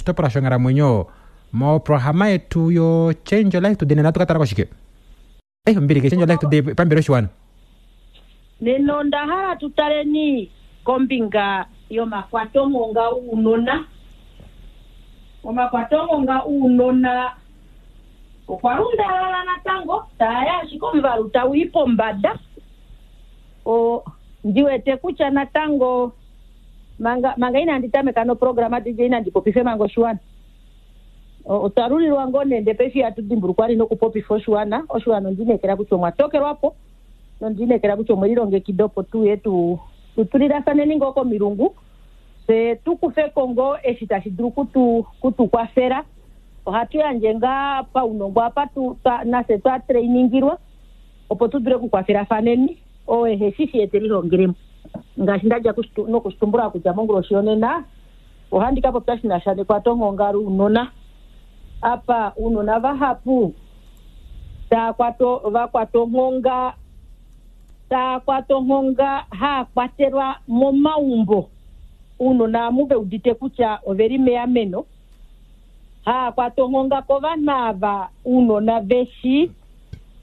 Oshitopolwa shonghalamwenyo moprograma yetu yo Change Your Life Today nena ohatu ka tala koshike? Eh, ombili ke Change Your Life Today pambele oshiwana. Nena onda hala tu taleni kombinga yomakwatonghonga ounona. Omakwatonghonga ounona okwa lundalala natango, taa ya ashike omuvalu tau i pombada. O, ndi wete kutya natango Manga, manga inandi tameka noprograma DJ nandi popife manga oshiwana. Otwa lulilwa ngoo nee ndee paife ihatu dimbulukwa li nokupopifa oshiwana. Oshiwana ondi inekela kutya omwa tokelwa po nondi inekela kutya omwe lilongekida opo tu uye tu, tu tulilafaneni ngoo komilungu fye tu kufe ko ngoo eshi tashi dulu kutu, kutu kwafela. Ohatu yandje ngaa paunongo apa tu, twa, nafye twa trainingilwa opo tu dule okukwafelafaneni. Oo ehe shi shi ye te lihongele mo. Ngaashi nda dja nokushitumbula kutya monguloshi yonena ohandi ka popya shi na sha nekwatonghonga lounona. Apa ounona vahapu taa kwato, va kwatwa onghonga, taa kwatwa onghonga haa kwatelwa momaumbo. Ounona amu ve udite kutya ove li meameno, haa kwatwa onghonga kovanhu ava ounona ve shii.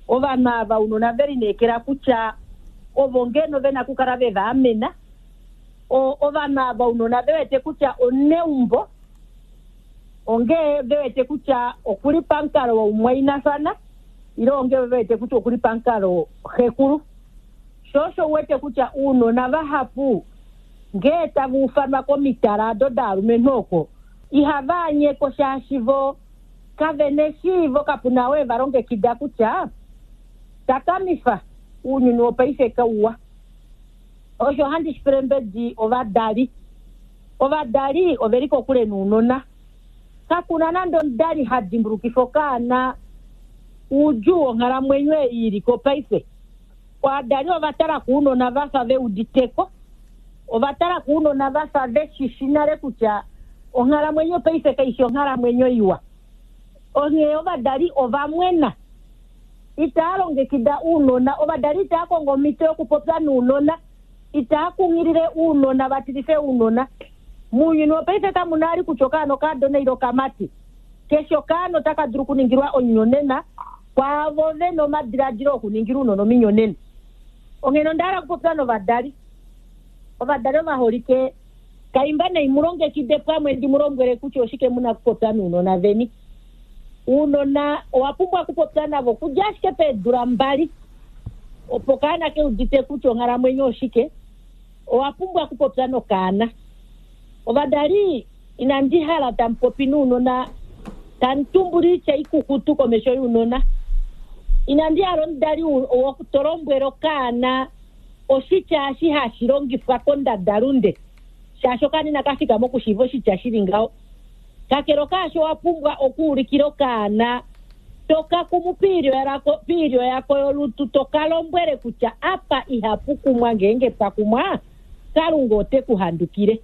Ovanhu ava ounona ve lineekela kutya ovo ngeno ve na okukala ve va amena. Ovanhu ava ounona ve wete kutya omuneumbo ongee ve wete kutya oku li pamukalo woumwainafana ile ongee ve wete kutya oku li pamukalo xekulu. Sho osho u wete kutya ounona vahapu ngee tava ufanwa komitala ado daalumenhu oko ihava anyeko shaashi vo Kave na eshiivo, kapu na oo e va longekida kutya takamifa, ounyuni wopaife kauwa. Osho ohandi shi pele mbedi ovadali. Ovadali ove li kokule nounona. Kaku na nande omudali ha dimbulukifa okaana oudjuu wonghalamwenyo ei i li ko paife. Ovadali ova tala ko ounona va fa ve udite ko. Ova tala ko ounona va fa ve shi shi nale kutya onghalamwenyo paife kai fi onghalamwenyo iwa. Onghee ovadali ova mwena. Itaa longekida ounona. Ovadali itaa kongo omhito yokupopya nounona. Itaa kunghilile ounona va tilife ounona. Mounyuni wopaife kamu na ali kutya okaana okaadona ile okamati. Keshe okaana otaka dulu okuningilwa omunyonena kwaavo ve na omadiladilo okuningila ounona ominyonena. Onghene onda hala okupopya novadali. Ovadali ovaholike, kaimba nai mu longekide pamwe ndi mu lombwele kutya oshike mu na okupopya nounona veni. Ounona owa pumbwa okupopya navo okudja ashike peedula mbali opo okaana ke udite kutya onghalamwenyo oshike. Owa pumbwa okupopya nokaana. Ovadali, inandi hala tamu popi nounona tamu tumbula oitya ikukutu komesho younona. Inandi hala omudali to lombwele okaana oshitya eshi hashi longifwa kondadalunde, shaashi okaana inaka fika mokushiiva oshitya shi li ngaho. Kakele okaasho owa pumbwa okuulikila okaana to ka kumu poilyo yako yolutu to ka lombwele kutya apa ihapu kumwa ngeenge pa kumwa, Kalunga ote ku handukile.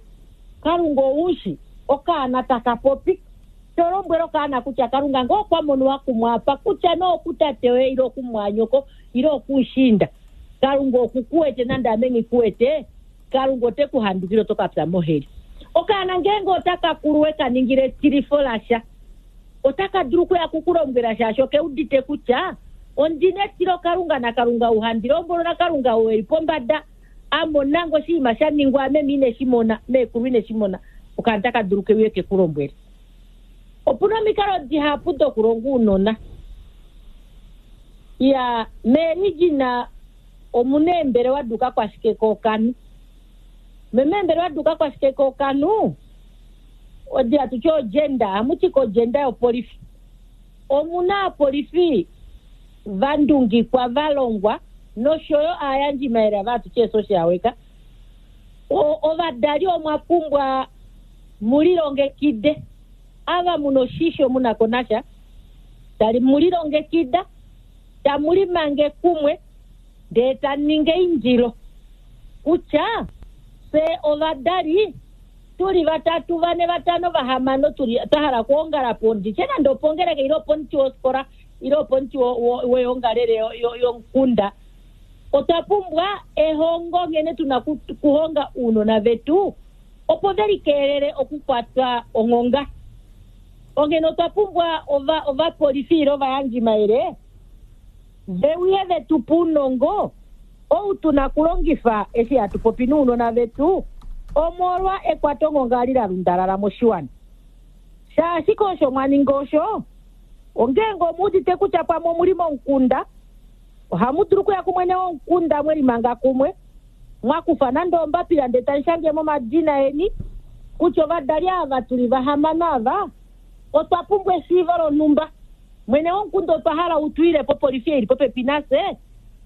Kalunga ou shi okaana taka popi. To lombwele okaana kutya Kalunga ngee okwa mono wa kumwa apa, kutya nee okutate yoye ile okumwanyoko ile okumushiinda, Kalunga oku ku wete nande ame nghi ku wete, Kalunga ote ku handukile oto ka pya moheli. Okaana ngeenge otaka kulu we ka ningile etilifo lasha, otaka dulu okuya ku ku lombwela shaashi oke udite kutya ondi na etilokalunga naKalunga ou handi lombwelwa naKalunga ou e li pombada a mona nge oshinima sha ningwa ame ine shi mona, meekulu ine shi mona, okaana otaka dulu ke uye ke ku lombwele. Opu na omikalo dihapu dokulonga ounona. Iya, meerijina omu na eembelewa dukakwashikekookanhu. Meembelewa dukakwashikekookanhu, odi hatu ti ogender, ohamu ti kogender yopolifi. Omu na aapolifi va ndungikwa, va longwa noshoyo aayandjimayele ava hatu ti eesocial worker. Ovadali omwa pumbwa mu lilongekide. Ava mu na oshisho mu na ko nasha, tali mu lilongekida, tamu limange kumwe ndee tamu ningi eindilo kutya fye ovadali tu li vatatu, vane, vatano, vahamano tu li twa hala okuongala po, ndi tye nande opongeleka ile opomuti wofikola ile opomuti weongalele yomukunda. Otwa pumbwa ehongo nghene tu na okuhonga ounona vetu opo ve likeelele okukwatwa onghonga. Onghene otwa pumbwa ovapolifi ile ovayandjimayele ve uye ve tu pe ounongo ou tu na kulongifa eshi hatu popi nounona vetu omolwa ekwatonghonga li la lundalala moshiwana. Shaashike osho mwa ninga osho, ongeenge omu udite kutya pamwe omuli momukunda, ohamu dulu okuya kumwene womukunda mwe limanga kumwe, mwa kufa nande ombapila ndele tamu shange momadina eni kutya ovadali ava tuli vahamano ava otwa pumbwa eshiivo lonhumba. Mwene womukunda otwa hala u tu ile popolifi ei li popepi nafye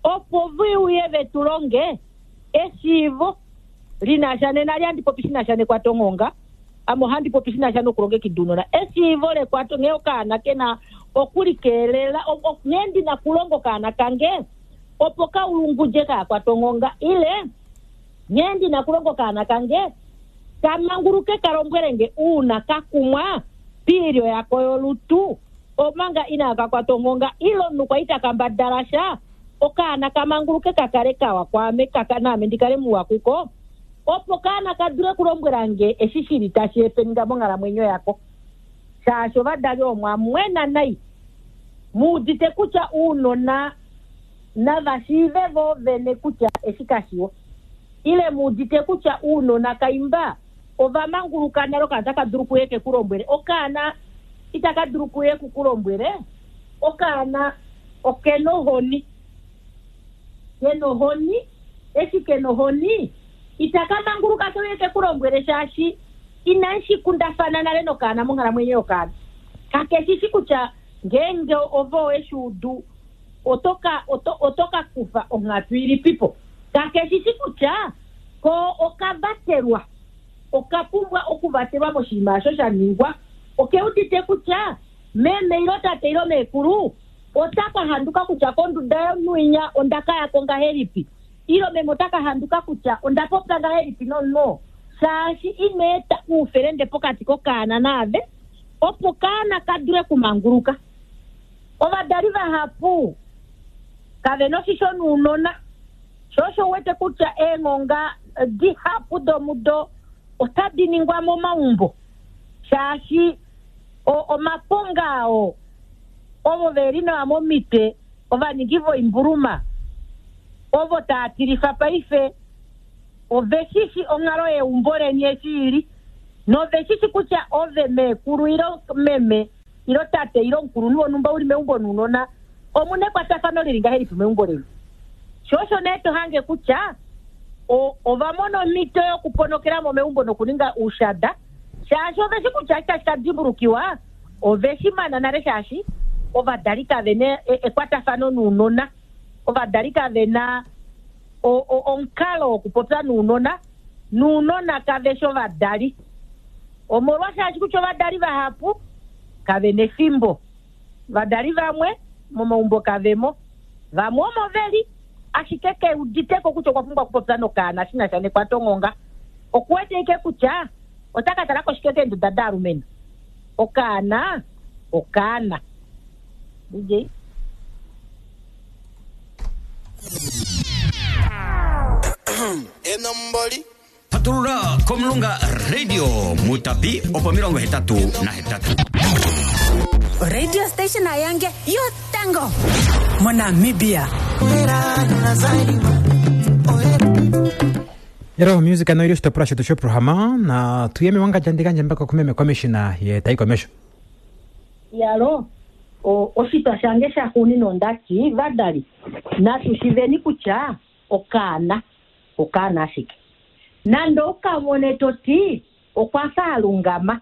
opo ve uye ve tu longe eshiivo li na sha nena li handi popi shi na sha nekwatonghonga, ame ohandi popi shi na sha nokulongekida ounona. Eshiivo lekwato nghee okaana ke na okulikeelela, nghee ndi na kulonga okaana kange opo ka ulungudje ka kwatwe onghonga ile nghee ndi na kulonga okaana kange ka manguluke ka lombwele nge uuna ka kumwa piilyo yako yolutu omanga inaaka kwatwa onghonga ile omunhu kwa ita kambadala sha okaana ka manguluke ka kale kawa kwaame kaka naame ndi kale muwa kuko opo okaana ka dule kulombwela nge eshi shili tashi epeninga monghalamwenyo yako. Shaashi ovadali omwa mwena nai mu udite kutya ounona nava shiive vo vene kutya eshi kashiwa ile mu udite kutya ounona kaimba ova manguluka nale okaana taka dulu kuye ke ku lombwele okaana itaka dulu kuye ku ku lombwele okaana okena ohoni kena ohoni eshi kena ohoni itaka manguluka ke uye ke ku lombwele shaashi inashi kundafana nale nokaana monghalamwenyo yokaana. Kakeshishi kutya ngeenge ove oweshi udu oto ka kufa onghatu ilipipo. Kakeshishi kutya ko okavatelwa oka pumbwa okuvatelwa moshinima osho sha ningwa. Oke udite kutya meme ilo tate ilo meekulu ota ka handuka kutya konduda yomunhu onda ka yako ngahelipi ilo meme ota ka handuka kutya onda popya ngahelipi nomunhu shaashi ina eta oufelende pokati kokaana naave opo kaana ka dule kumanguluka. Ovadali vahapu kave na oshisho nounona, sho osho uwete kutya eenghonga dihapu domudo otadi ningwa momaumbo shaashi omaponga ao ovo ve li nawa momitwe ovaningi voimbuluma ovo taa tilifa paife ove shishi onghalo yeumbo leni eshi ili nove shishi kutya ove meekulu ilo meme ilo tate ilo omukulunhu wonhumba uli meumbo nounona omuna ekwatafano lili ngahelipi meumbo leni. Sho osho nee to hange kutya ova mona omhito yokuponokela mo meumbo nokuninga oushada shaashi ove shi kutya itashi ka dimbulukiwa ove shi mana nale shaashi ovadali kave na ekwatafano nounona, ovadali kave na omukalo wokupopya nounona, nounona kave shi ovadali. Omolwashaashi kutya ovadali vahapu kave na efimbo, ovadali vamwe momaumbo kavemo, vamwe omo veli ashike ke uditeko kutya okwa pumbwa okupopya nokaana shi na sha nekwatonghonga. Okuwete ike kutya ota ka tala koshike keenduda daalumenhu. Okaana okaana. DJ. Enomboli. Patulula komulunga radio mutapi opo 88. Radio station ayange yotango moNamibia. Yero music ano ili oshitopolwa shetu shoprograma na tuye mewangandja ndikandja mbaka kumeme commissioner ye tai komesho. Yalo oshitwa shange shaxuuninwa ondati vadali natu shiveni kutya okaana okaana ashike. Nande ukamone toti okwa fa alungama,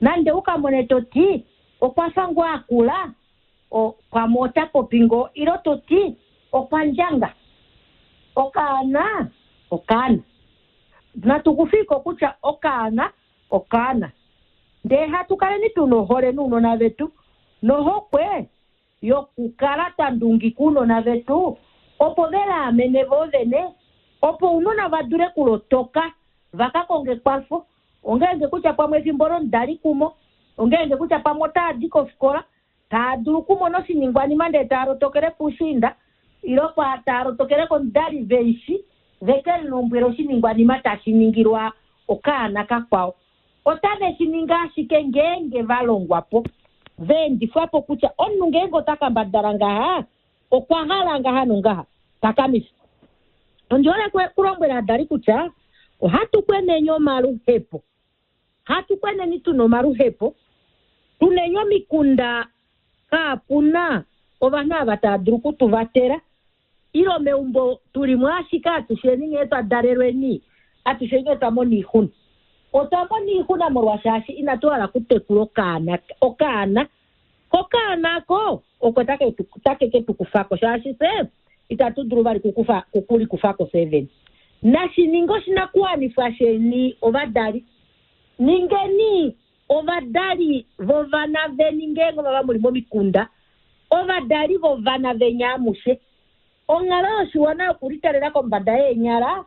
nande ukamone toti okwa fa ngoo akula, pamwe ota popi ngoo ilo toti okwa ndjanga. Okaana okaana. Natu kufiko kutya okaana okaana. Ndee hatu kaleni tuna ohole nounona vetu nohokwe yokukala twa ndungika ounona vetu opo ve laamene vo vene, opo ounona va dule kulotoka va ka konge ekwafo. Ongeenge kutya pamwe efimbo lomudali kumo, ongeenge kutya pamwe otaa di kofikola taa dulu okumona oshiningwanima ndee taa lotokele puushiinda ilo taa lotokele komudali veishi veke lilombwele oshiningwanima tashi ningilwa okaana kakwao. Otave shi ningi ashike ngeenge va longwa po, va endifwa po kutya omunhu ngeenge ota kambadala ngaha, okwa hala ngaha nongaha, takamifa. Ondi hole kulombwela ovadali kutya ohatu kweneni omaluhepo. Hatu kweneni tuna omaluhepo, tuneni omikunda kaapuna ovanhu ava tava dulu okutuvatela, ile meumbo tulimo ashike atusheni nghee twa dalelweni, atusheni otwa mona oixuna. Otwa mona oixuna molwashaashi inatu hala okutekula okaana, okaana. Kokaana ako oko take ke tu kufa ko, shaashi fye itatu dulu vali okulikufa ko fye vene. Nashi ninge oshinakuwanifwa sheni ovadali. Ningeni ovadali vovana veni ngeenge ovava muli momikunda, ovadali vovana veni amushe. Onghalo yoshiwana yokulitalela kombada yeenyala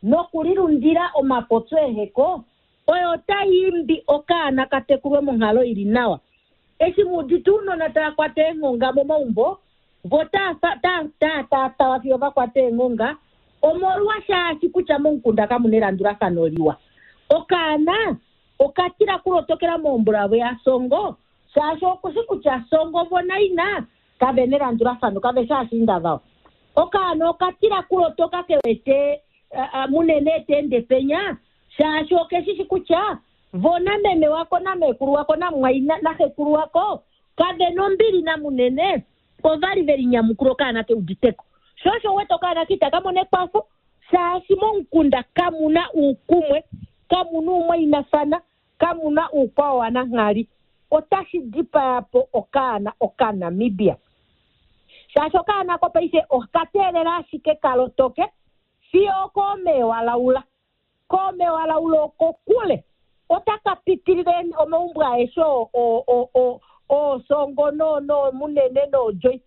nokulilundila omapopyo eheko oyo otai imbi okaana ka tekulwe monghalo ili nawa. Eshi mu udite ounona tava kwata eenghonga momaumbo, vo tava fiyo va kwata eenghonga, omolwashaashi kutya momukunda kamuna elandulafano liwa. Okaana okatila kulotokela mombulavo yasongo, shaashi okushi kutya songo vo naina kave nelandulafano, kave shaashiinda vao. Okaana okatila kulotoka kewete munene teende penya, shaashi okeshishi kutya vo nameme wako namekulu wako namwaina naxekulu wako kave nombili namunene, ovali veli nyamukula okaana keuditeko. Sho osho wete okaana kitaka mona ekwafo, shaashi momukunda kamuna uukumwe, kamuna uumwainafana, kamuna uukwao wananghali. Otashi dipaya po okaana okaNamibia. Shaashi okaana ko paife okateelela ashike kalotoke fiyo okoomewa laula. Koomewa laula okokule otaka pitilile omaumbo aeshe oosongo noomunene noodjoi.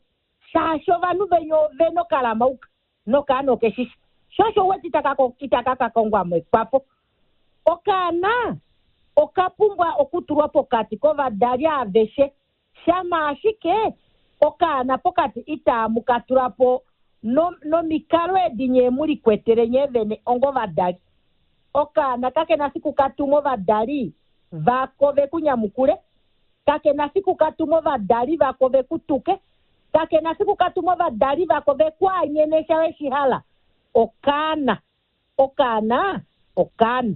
Shaashi ovanhu venya ovena okalamauka nokaana okeshishi. Sho osho wete itaka ka kongwa mo ekwafo. Okaana okapumbwa okutulwa pokati kovadali aveshe. Shama ashike okaana pokati itaamu ka tula po nomikalo edi nyee mu likwetele nyee vene ongovadali. Okaana kakena fiku ka tuma ovadali vako ve ku nyamukule, kakena fiku ka tuma ovadali vako ve ku tuke, kakena fiku ka tuma ovadali vako ve ku anyene sha we shi hala. Okaana, okaana, okaana.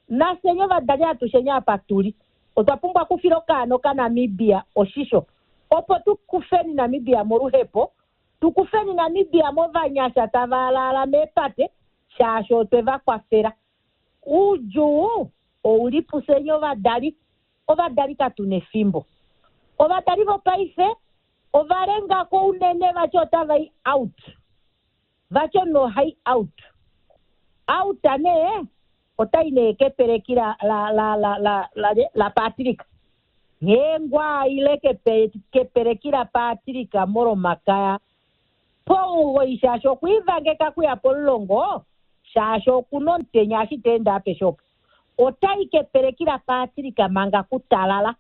Nafye ovadali atusheni apa tuli, otwa pumbwa okufila okaana okaNamibia oshisho, opo tu kufeni Namibia moluhepo, tu kufeni Namibia movanyasha tava alaala meepate, shaashi otwe va kwafela. Oudjuu ouli pufyeni ovadali. Ovadali katu nefimbo. Ovadali vopaife ova lengako unene vati otava i out. Vati omunhu ohai out. Out nee otai nee kepeleki la Patrick. Nghee ngwa ile kepeleki la Patrick molomakaya pomugoyi, shaashi okwiivangeka kuya pomulongo, shaashi okuna omutenya eshi ta ende apeshe opo. Otai kepeleki la Patrick manga kutalala.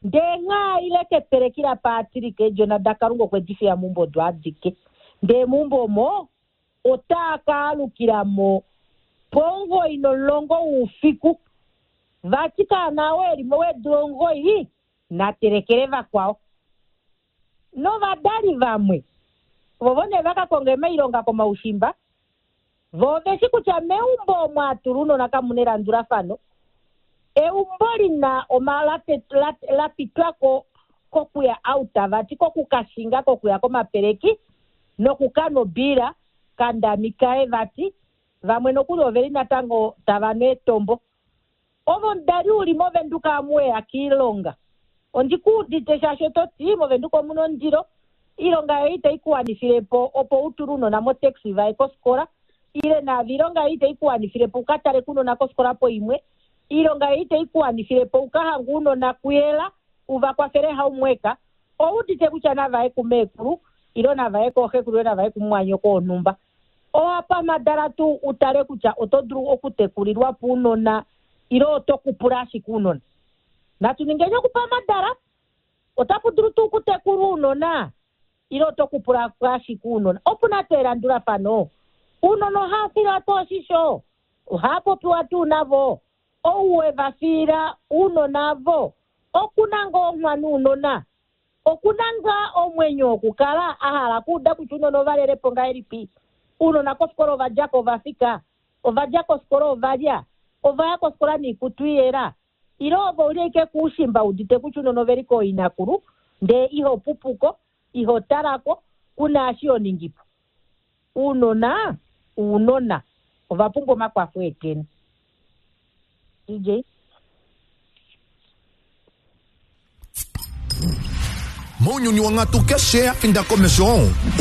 Ndee nghaa ile kepeleki la Patrick, eedjona daKalunga okwe di fiya meumbo odo adike. Ndee meumbo omo otaa ka alukila mo pomugoyi nomulongo woufiku. Vati kaana oo eli mo weedula omugoyi natelekele vakwao. Novadali vamwe vovo nee va ka konga emailonga komaushimba, vo oveshi kutya meumbo omo atula ounona kamuna elandulafano. Eumbo lina la pitwako kokuya out, vati kokukashinga kokuya komapeleki nokukanwa obiila kandamikae vati. Vamwe nokuli oveli natango tava nu etombo. Ovo omudali uli mOvenduka amuweya kiilonga. Ondi ku udite shaashi oto ti mOvenduka omuna ondilo, iilonga yoye itai ku wanifile po opo u tule ounona motaxi vaye kofikola, ile naave iilonga yoye itai ku wanifile po u ka tale ounona kofikola poimwe, iilonga yoye itai ku wanifile po u ka hange ounona kuyela u va kwafele haumweka. Ou udite kutya navaye kumeekulu ile navaye kooxekulu ile navaye kumumwanyoko wonhumba. Owa pamhadala tuu u tale kutya oto dulu okutekulilwa po ounona ile oto kupula ashike ounona. Natu ningeni okupamhadala, otapu dulu tuu okutekulwa ounona ile oto kupula ashike ounona. Opu na tuu elandulafano. Ounona ohava filwa tuu oshisho, ohava popiwa tuu navo. Ou we va fiila ounona avo oku na ngoo onghwa nounona? Oku na ngaa omwenyo wokukala a hala okuuda kutya ounona ova lele po ngahelipi? Ounona kofikola ova dja ko ova fika? Ova dja kofikola ova lya? Ova ya kofikola noikutu iyela? Ile ove ouli ashike koushimba udite kutya ounona ove li kooinakulu ndee iho pupuko, iho talako, kuna eshi ho ningi po? Ounona ounona, ova pumbwa omakwafo eteni. DJ. Mounyuni wonghatu keshe ya finda komesho,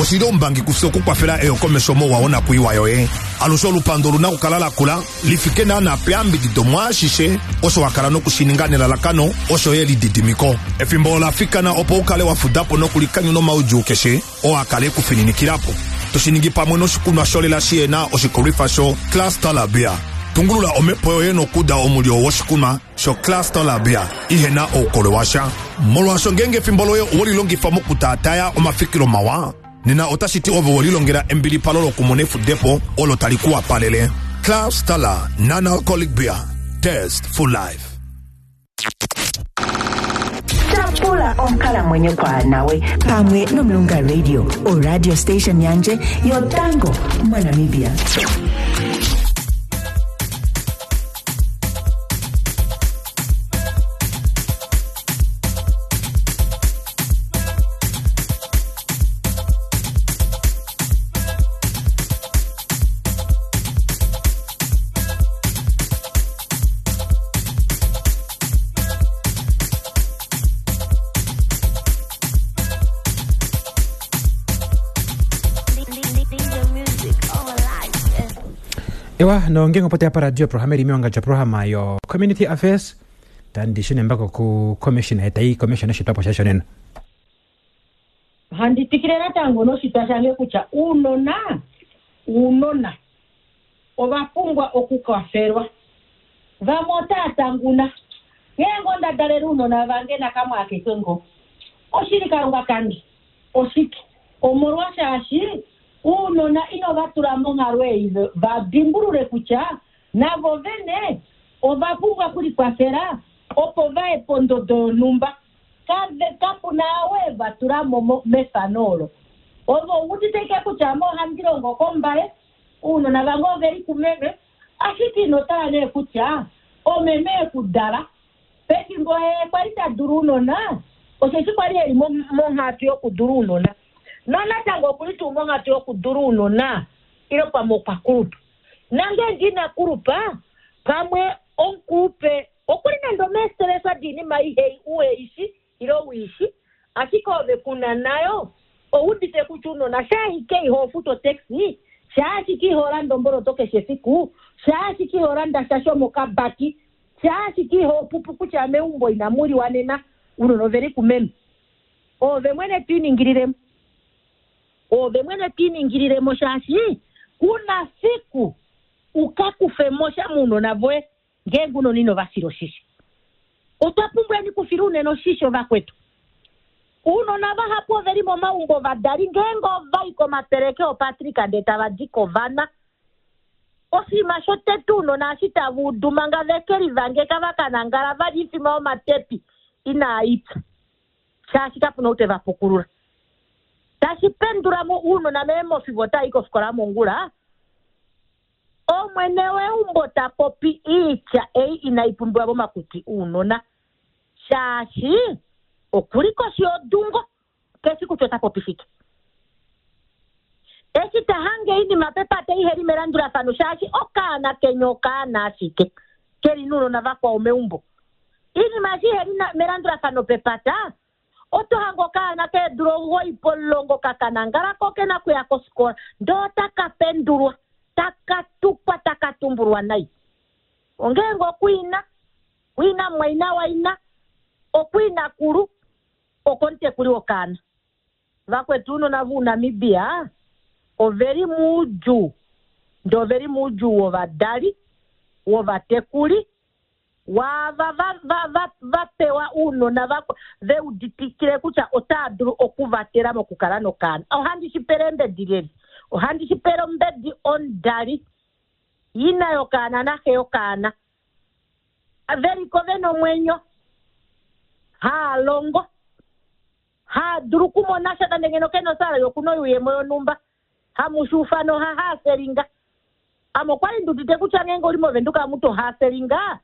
oshi li oumbangi kufye okukwafela eyokomesho mouwa wonakwiiwa yoye. Alushe olupandu olu na okukala la kula li fike naanaa peyambidido mwaashishe osho wa kala noku shi ninga nelalakano osho yo elididimiko. Efimbo ola fikana opo u kale wa fuda po nokulikanyuna omaudjuu keshe oo a kala e ku fininikila po. To shi ningi pamwe noshikunwa sholela shi na oshikolwifa sho Claas Beer. Tungulula omhepo yoye nokuuda omulyo woshikunwa shoClaas Beer ihe na oukolwe washa. Molwaasho ngeenge efimbo loye owe li longifa mokutaataya omafikilo mawa, nena otashi ti ove we lilongela embilipalo lokumona efudepo olo tali ku wapalele. Klaas Stella Non-Alcoholic Beer. Taste for life. Tyapula onkalamwenyo kwaanawe pamwe nomulunga radio oradio station yandje yotango monamibia. Ewa nonge ngopote apa radio programa iri mionga programa yo community affairs tandi shune mbako ku commissioner etai commissioner shitwapo shasho nena. Handi tikile natango noshitwa shange kutya uunona uunona ova pumbwa okukwafelwa. Vamwe otaya tanguna ngeenge onda dalele uunona vange nakamwe akeke ngo oshili kalunga kange oshike omolwashaashi uunona ino va tula monghalo ei va dimbulule kutya navo vene ova pumbwa okulikwafela opo vaye pondodo yonhumba. Kapuna we va tula mo mefano olo. Ovo udite ike kutya ame ohandi longo kombaye, uunona vange ove li kumeme, ashike ino tala nee kutya omeme ekudala. Pefimbo ye kwali ta dulu uunona, osheshi kwali eli monghatu yokudula uunona. Nonatango okuli tuu monghatu yokudula uunona, ile pamwe okwa kulupa. Nange ndina kulupa, pamwe omukulupe okuli nande omeestresa diinima ihei ueishi ile uishi, ashike ove kuna nayo oudite kutya uunona shaashike iho futu otaxi, shaashike iho landa omboloto keshe efiku, shaashike iho landa sha shomokabaki, shaashike iho pupu kutya meumbo inamu liwa nena, uunona oveli kumeme. Ove mwene twiiningililemo. Ove mwene twiiningililemo shaashi kuna fiku ukakufe mo sha muunona voye ngeenge uunona ino va fila oshisho. Otwa pumbweni kufila unene oshisho vakwetu. Uunona vahapu ove li momaumbo ovadali ngeenge ova i komapeleke opatrika ndee tava di kovana. Oshinima shotete uunona eshi tava udu manga veke livangeka va ka nangala va li ifima omatepi inaa ipya. Shaashi kapuna ou te va pukulula. Tashi pendula mo uunona meemofi vo otava i kofikola mongula. Omwene weumbo ta popi iitya ei inai pumbiwa momakutwi uunona. Shaashi okuli koshi yodungo keshi kutya ota popi shike. Eshi ta hange oinima pepata iheli melandulafano shaashi okaana kenya okaana ashike keli nounona vakwao meumbo. Iinima eshi iheli melandulafano pepata oto hange okaana keedula 9 10 kakanangala ko kena kuya kofikola ndee otaka pendulwa taka tukwa taka tumbulwa nai. Ongeenge okwiina, kwiina mumwaina waina, okwiinakulu, okomutekuli wokaana. Vakwetu uunona vounamibia oveli muudjuu, ndee oveli muudjuu wovadali, wovatekuli, waava va pewa uunona ve uditikile kutya otaa dulu okuvatela mokukala nokaana. Ohandi shi pele embedi leli. Ohandi shi pele ombedi omudali, ina yokaana naxe yokaana. Veliko ve na omwenyo, haa longo, haa dulu okumona sha nande ngeno ke na osalary okuna oyuuyemo yonhumba, hamushuufano oha haaselinga. Ame okwali ndi udite kutya ngeenge uli moVenduka amu to haaselinga,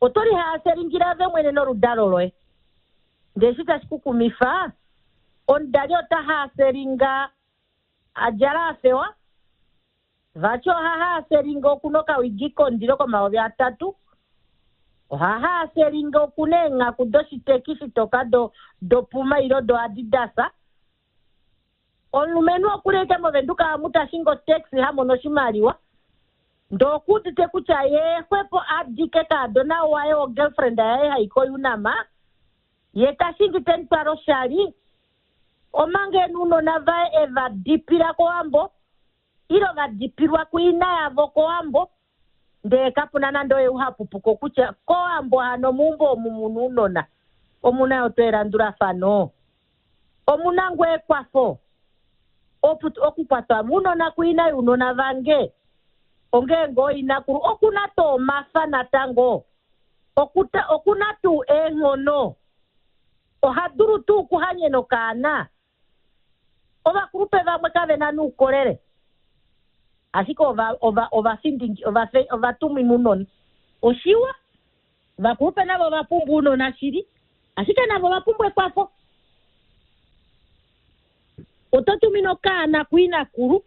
oto lihaaselingile ove mwene noludalo loye. Ndee eshi tashi ku kumifa, omudali ota haaselinga a djala a fewa, Vati oha haaselinga okuna okawigi kondilo ko3000, oha haaselinga okuna eenghaku doshiteki shitoka doPuma ilo doAdidas. Omulumenhu okuli ashike mOvenduka amu ta shingi otaxi ha mono oshimaliwa, ndee okuudite kutya yee xwepo a dike kaadona waye wogirlfriend yaye hai koUnam, ye ta shingi te mu twala oshali, omanga ena ounona vaye e va dipila kOwambo ile va dipilwa kuina yavo kOwambo, ndee kapu na nande oye u ha pupuka okutya kOwambo hano meumbo omu mu na ounona, omu na yo tuu elandulafano? Omu na ngoo ekwafo? Okukwatwa mounona kuina younona vange, ongee ngoo inakulu, oku na tuu omafa natango? Oku na tuu eenghono? Oha dulu tuu okuhanyena okaana? Ovakulupe vamwe kave na noukolele, ashike ova, ova, ovafindingi, ovafe, ovatumwina ounona. Oshiwa, ovakulupe navo ova pumbwa ounona shili, ashike navo ova pumbwa ekwafo. Oto tumine okaana kuinakulu,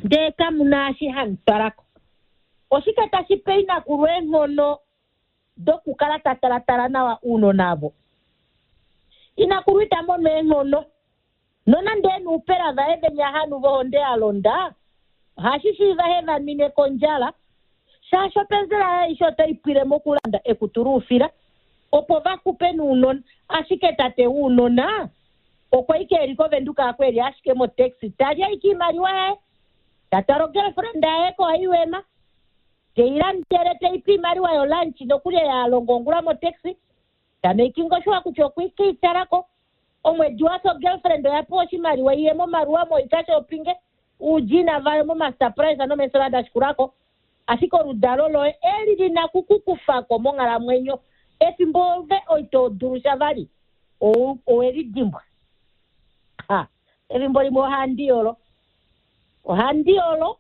ndee kamu na eshi hamu twala ko. Oshike tashi pe inakulu eenghono dokukala ta talatala nawa ounona avo? Inakulu ita mono eenghono. Nonande e na oupela vaye venya hanu vohonde ya londa, ohashi shiiva he va nwine kondjala, shaashi openzela yaye aishe otai pwile mokulanda ekutu loufila opo va xupe nounona. Ashike tate wounona okwa ike e li kOvenduka ako e li ashike motaxi ta li ashike oimaliwa yaye, ta twala ogirlfriend yaye koIUM, te i landele te i pe oimaliwa yolunch nokuli ei a longa ongula motaxi, Ta making sure kutya okwe ke i tala ko. Omwedi wa fya ogirlfriend oya pewa oshimaliwa iye momaluwa moika shoppinge uudjiina vayo momasurprise nomeesela da shikula ko. Ashike oludalo loye eli li na ku ku kufa ko monghalamwenyo efimbo ove ito dulu sha vali. Owe li dimbwa. Ha, efimbo limwe ohandi yolo. Ohandi yolo,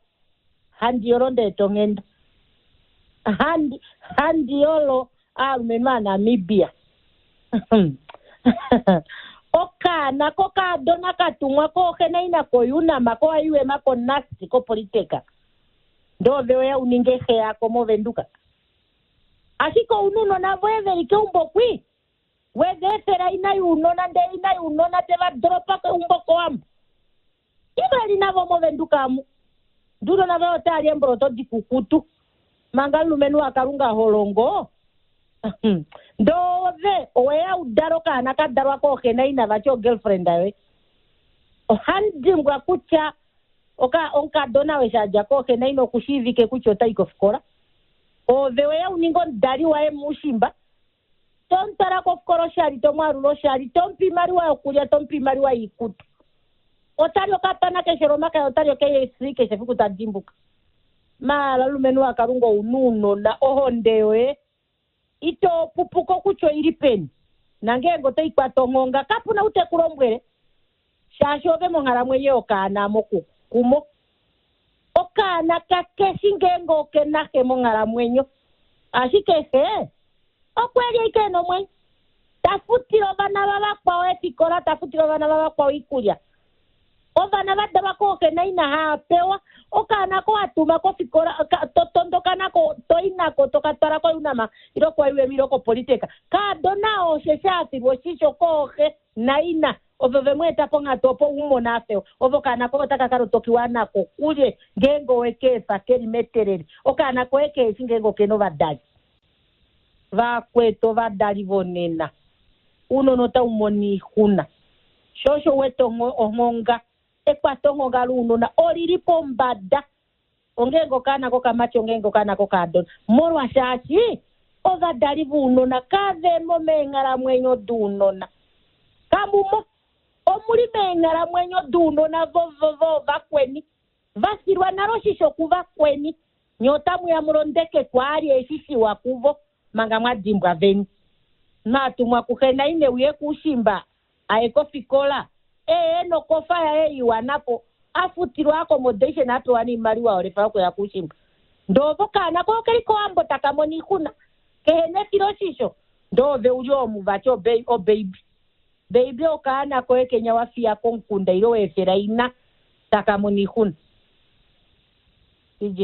handi yolo ndee to nghenda. Handi, handi yolo aalumenhu Aanamibia. Okaana kokaadona ka tumwa kooxe naina koUNAM, koIUM, koNUST, koPolytech. Ndee ove weya u ninge xe yako mOvenduka. Ashike ouna ounona voye ve li keumbo kwi, we va efela ina younona ndee ina younona te va doropa keumbo kOwambo. Iva li navo mOvenduka amu. Nduno nave otaa li eemboloto dikukutu. Manga omulumenhu waKalunga ho longo. Ndee ove owe ya u dale okaana ka dalwa kooxe naina vati ogirlfriend yoye. Ohandi dimbwa kutya oka omukadona eshi a dja kooxe naina okushiivike kutya ota i kofikola. Ove we ya u ninge omudali waye muushimba. To mu twala kofikola oshali, to mu alula oshali, to mu pe oimaliwa yokulya, to mu pe oimaliwa yoikutu. Ota li okapana keshe lomakaya, ota li oKFC keshe efiku ta dimbuka. Maala omulumenhu waKalunga ou na ounona, ohonde yoye ito pupuka okutya oi li peni. Nangeenge otai kwata onghonga, kapu na ou te ku lombwele, shaashi ove monghalamwenyo yokaana mokukumo. Okaana kakeshi ngeenge oke na xe monghalamwenyo, ashike xe okwe li ashike e na omwenyo. Ta futile ovana vavakwao eefikola, ta futile ovana vavakwao oikulya. Ovana va dalwa kooxe naina haa pewa. Okaana ko wa tuma kofikola, to tondoka nako, to i nako, to ka twala koUNAM ile koIUM ile koPolytech. Kaadona oo osheshi a filwa oshisho kooxe naina. Ovo ve mu eta ponghatu opo u mone a fewa. Ove okaana koye otaka ka lotokiwa nako kulye ngeenge owe ka efa ke li metelele. Okaana koye kehe shi ngeenge oke na ovadali. Vakwetu ovadali vonena, ounona otau mono oixuna. Sho osho u wete onghonga, ekwatonghonga lounona oli li pombada. Ongeenge okaana kokamati ongeenge okaana kokaadona. Molwashaashi ovadali vounona kave mo meenghalamwenyo dounona. Kamu mo. Omu li meenghalamwenyo dounona voovakweni. Va filwa nale oshisho kuvakweni. Nye otamu ya mu londeke kwaali eshi shiwa kuvo. manga mwa dimbwa veni. Mwatumwa kuxe naine uye kuushimba aye kofikola ee nokofa yaye iwanapo afutilwa accommodation apewa niimaliwa yolefa yokuya kuushimba. Ndoo okaana ko okeli kowambo taka mono iixuna kehe nefiloshisho ndoo ove uli omuvati obaby. Baby okaana koye kenya wafiya komukunda ile weefela ina taka mono iixuna. DJ.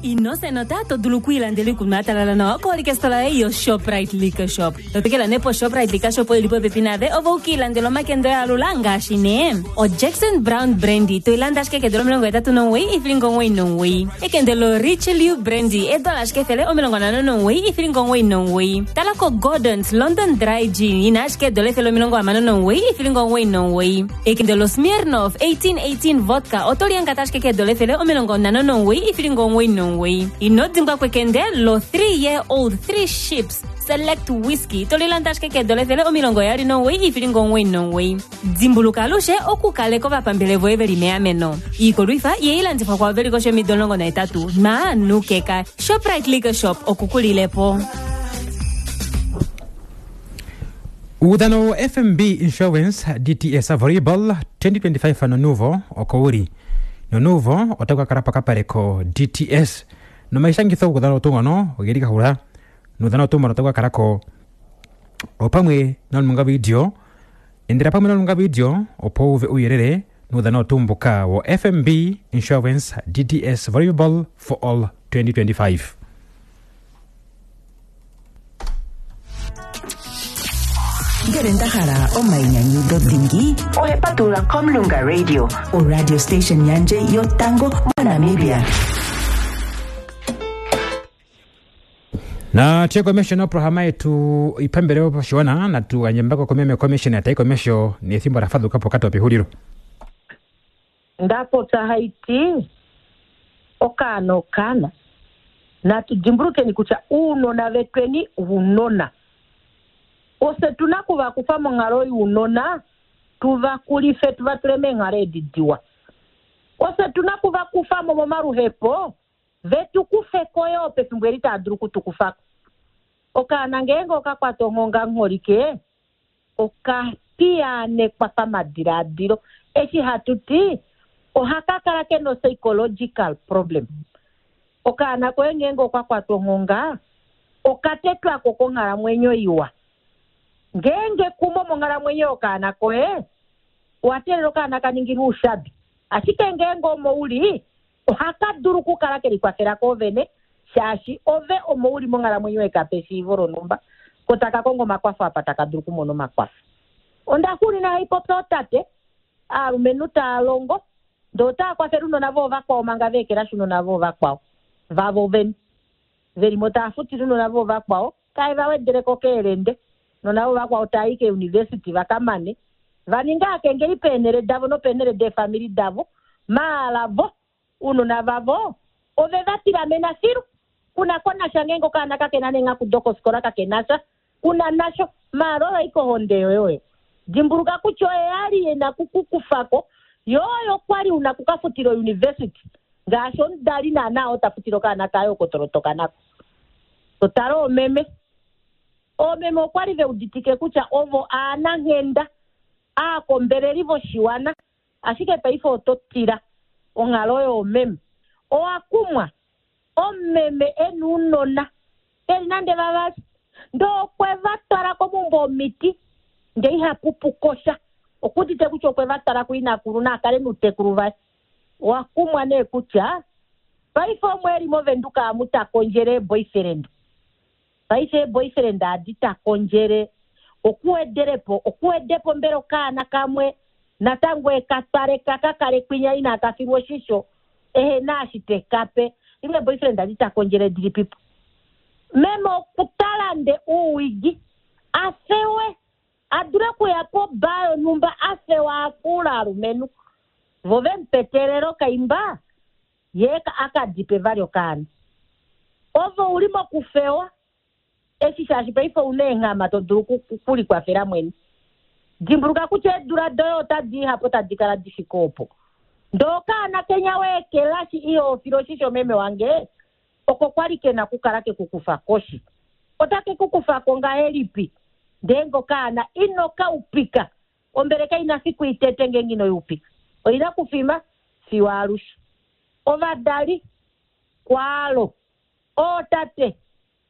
Ino senota to dulu okwiilandela iikunwa ya talala nawa koolikestola yoye yoShoprite Liquor Shop. Totokela nee poShoprite Liquor Shop oyo ili popepi naave ove ukiilandela omakendo ya alula ngaashi nee oJackson Brown Brandy to i landa ashike keedola 89 ifilinga 99. Ekende loRichelieu Brandy eedola ashike 159 ifilinga 99. Tala koGordon's London Dry Gin ina ashike eedola 169 ifilinga 99. Ekende loSmirnoff 1818 Vodka oto liyangata ashike keedola 159 ifilinga 99. Ino dimbwa kwekende lo 3 year old 3 ships select whisky to lilanda ashike keedola 129 ifilinga 99. Dimbuluka alushe okukaleka ovapambele voye veli meameno. Iikolwifa ihailandifwa kwaavo veli koshi yomido 18 maanukeka. Shoprite Liquor Shop okukulilepo. Uudhano wo FNB Insurance DTS Volleyball 2025 nonuvo oko wuli. Nonuvo otaku ka kala pokapale ko DTS. Nomaishangitho guudhano tuu ngono ogeli ga hula. Nuudhano tuu mbono otaku ka kala ko opamwe nolunga video. Endela pamwe nolunga video opo wu uve uuyelele nuudhano tuu mbuka wo FNB Insurance DTS Volleyball for All 2025. Ngele nda hala omainyanyudho dhingi, ohe patulula Komulunga Radio, oradio station yandje yotango moNamibia. Na tuye komesho noprograma yetu ipambelewo pashiwana natugandje komeme commission tayi komesho nethimbo la fadhukapo pokati opehulilo. Ndapopya haiti okaana okaana natu dimbulukeni kutya uunona vetweni uunona ose tuna kuvakufa monghalo younona tuvakulife tuvatule meenghalo edi diwa. Ose tuna kuvakufamo momaluhepo vetu kufeko yoo pefimbo eli taa dulu okutukufako. Okaana ngeenge okakwata onghonga ngholike okapiyaanekwa pamadilaadilo eshi hatu ti ohaka kala kena psychological problem. Okaana koye ngeenge okakwatwa onghonga okatetwako konghalamwenyo iwa. Ngeenge kumo monghalamwenyo yokaana koye owa teelela okaana ka ningilwe oushabi, ashike ngeenge omo uli ohaka dulu okukala ke likwafela koovene shaashi ove omo uli monghalamwenyo ekape eshiivo lonhumba ko taka kongo omakwafo apa taka dulu okumona omakwafo. Onda xuulina haipopya ootate aalumenhu taa longo ndee otaa kwafele ounona voovakwao manga va ekelashi ounona voovakwao vavo vene velimo taa futile ounona voovakwao tae va wedeleko keelende nona voovakwao taa i keuniversity vakamane vaninga akengeli peenhele davo nopeenhele deefamili davo maala vo ounona vavo ove va tilamena filu kuna konasha ngeenge okaana kakena neenghaku dokofikola kakenasha kuna nasho maala oyo aike ohonde yoye oyo. Dimbuluka kutya oye ali ena kukukufako yo oyo kwali una kukafutila ouniversity ngaashi omudali naana oo tafutile okaana kaye okotolotoka nako. Totala oomeme. Oomeme okwali veuditike kutya ovo aananghenda aakombeleli voshiwana ashike paife oto tila onghalo yoomeme. Owa kumwa omumeme ena ounona veli nande vavali ndee okwe va twala komaumbo omiti ndee ihapupu kosha okuudite kutya okwe va twala kuinakulu naakale noutekulu vaye. Owa kumwa nee kutya paife omwe eli movenduka amu ta kondjele eeboyfriend. Paife eeboyfriend adi ta kondjele okuwedelepo okuwedepo mbela okaana kamwe natango ekatwale kakakale kwinya inaka filwa oshisho ehena eshi tekape ile boyfriend adi ta kondjele dilipipo. Meme okutalande uuwigi afewe adule okuya pobaa yonhumba afewa afuula alumenhu vo vemupetelele okaimba ye akadipe vali okaana. Ove uli mokufewa eshi shaashi paife ouna eenghama to dulu okulikwafela mwene. Dimbuluka kutya eedula doye otadi ihapo tadi kala difike opo. Ndee okaana kenya weekelashi iho file oshisho meme wange, oko kwali ke na okukala ke ku kufa koshi. Otake ku kufa ko ngahelipi ngeenge okaana ino ka upika? Ombele kai na fiku itete ngeenge ino i upika. Oi na kufima fiyo alushe. Ovadali, kwaalo. Ootate,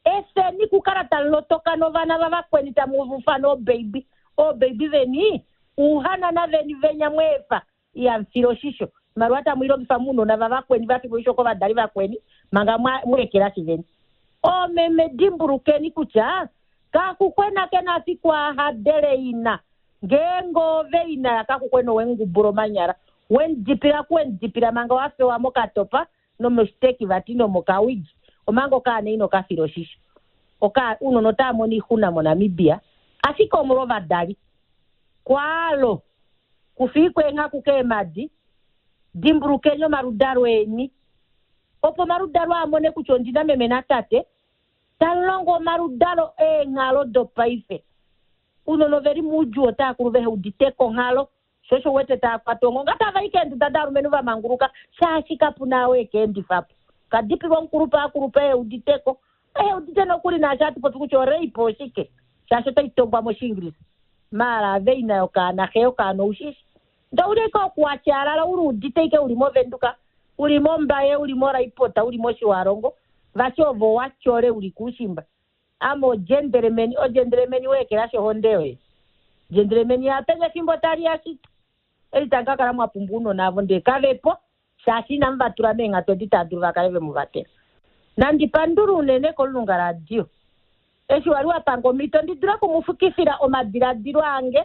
efeni kukala tamu lotoka novana vavakweni tamu ufana oobaby. Oobaby veni, uuhanana veni venya mweefa ihamu file oshisho. Oimaliwa tamu i longifa mounona vavakweni va filwa oshisho kovadali vakweni manga mwa ekelashi veni. Oomeme dimbulukeni kutya kaxuxwena ke na fiku a hadele ina. Ngeenge ove ina yakaxuxwena owe mu ngubula omanyala, we mu dipila ku we mu dipila manga wa fewa mokatopa nomoshiteki vati nomokawigi omanga okaana ino ka fila oshisho. Oka, ounona otava mono oixuna moNamibia ashike omolwovadali. Kwaalo, kufiikwa eenghaku keemadi, dimbulukeni omaludalo eni. Opo omaludalo a mone kutya ondi na meme natate, tamu longo omaludalo eenghalo dopaife. Ounona ove li moudjuu otava kulu vehe udite ko onghalo, sho osho u wete tava kwatwa onghonga tava i keenduda daalumenhu va manguluka shaashi kapu na ou e ka endifa po. Ka dipilwa omukulupe a kulupa ehe udite ko, ehe udite nokuli naashi hatu popi kutya orape oshike shaashi otai tongwa mOshiingilisa. Maala ave ina yokaana, xe yokaana ou shi shi. Ndee ouli ashike okuwatyaalala uli udite ashike uli mOvenduka, uli mOmbaye, uli moRaipota, uli mOshiwalongo, vati ove owa tyole uli kuushimba. Ame odjendelemeni, odjendelemeni we ekelashi ohonde yoye. Djendelemeni yapeni efimbo tali ya shito. Eli tamu ka kala mwa pumbwa ounona avo ndee kave po, shaashi inamu va tula meenghatu edi tava dulu va kale ve mu vatela. Nandi pandule unene kolulunga radio eshi wali wa pange omhito ndi dule oku mu fukifila omadiladilo ange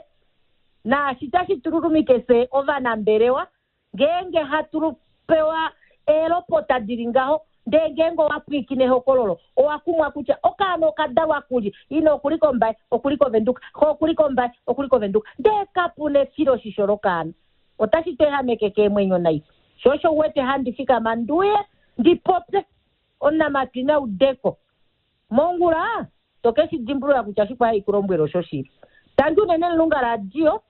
naashi tashi tu lulumike fye ovanambelewa Ngeenge hatu pewa eelopota di li ngaho, ndee ngeenge owa pwiikine ehokololo, owa kumwa kutya okaana oka dalwa kulye, ina oku li kOmbaye, oku li kOvenduka, xe oku li kOmbaye, oku li kOvenduka, ndee kapu na efiloshisho lokaana. Otashi tu ehameke keemwenyo nai. Sho osho u wete handi fikama ndi uye ndi popye. Omunamatwi na ude ko. Mongula, to ke shi dimbulula kutya oshikwa hai ku lombwele oshoshili. Tangi unene Mulunga Radio,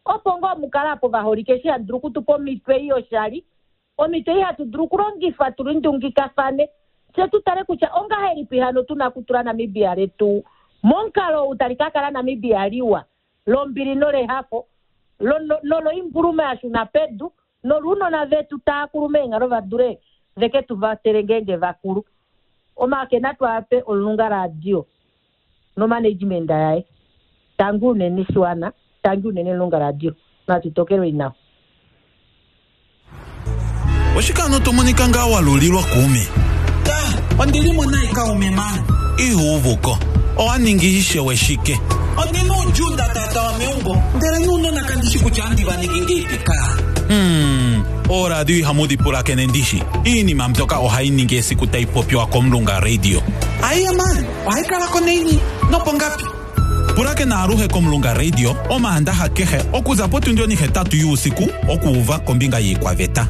opo ngoo mu kale apo vaholike eshi hamu dulu oku tu pa omitwe ei yoshali, omitwe ei hatu dulu okulongifa tu lindungikafane, fye tu tale kutya ongahelipi hano tu na okutula Namibia letu momukalo ou tali ka kala Namibia liwa, lombili nolehafo, lo, noloimbuluma ya shuna pedu, noluunona vetu taa kulu meenghalo va dule ve ke tu vatele ngeenge va kulu. Omake natu a pe Olunga Radio nomanagement yaye. Tangi unene shiwana, tangi unene Olunga Radio. Natu tokelweni nawa. Oshike ano to monika ngaa wa lulilwa kuume? Ta, ondi li mo nayi kaume man. Ihu uvu ko. Owa ningi ishewe shike? Ondi na uudjuu nda taatawa meumbo, ndele nuunona kandi shi kutya andi va ningi ngiipi kaa. Hmm, ooradio ihamu dhi pulakene ndishi. Iinima mbyoka ohayi ningi esiku tayi popiwa kOmulunga Radio. Aiya man, ohayi kala ko naini nopongapi? Pulakena aluhe kOmulunga Radio Omaandaha kehe okuza potundi onihetatu yuusiku okuuva kombinga yiikwaveta.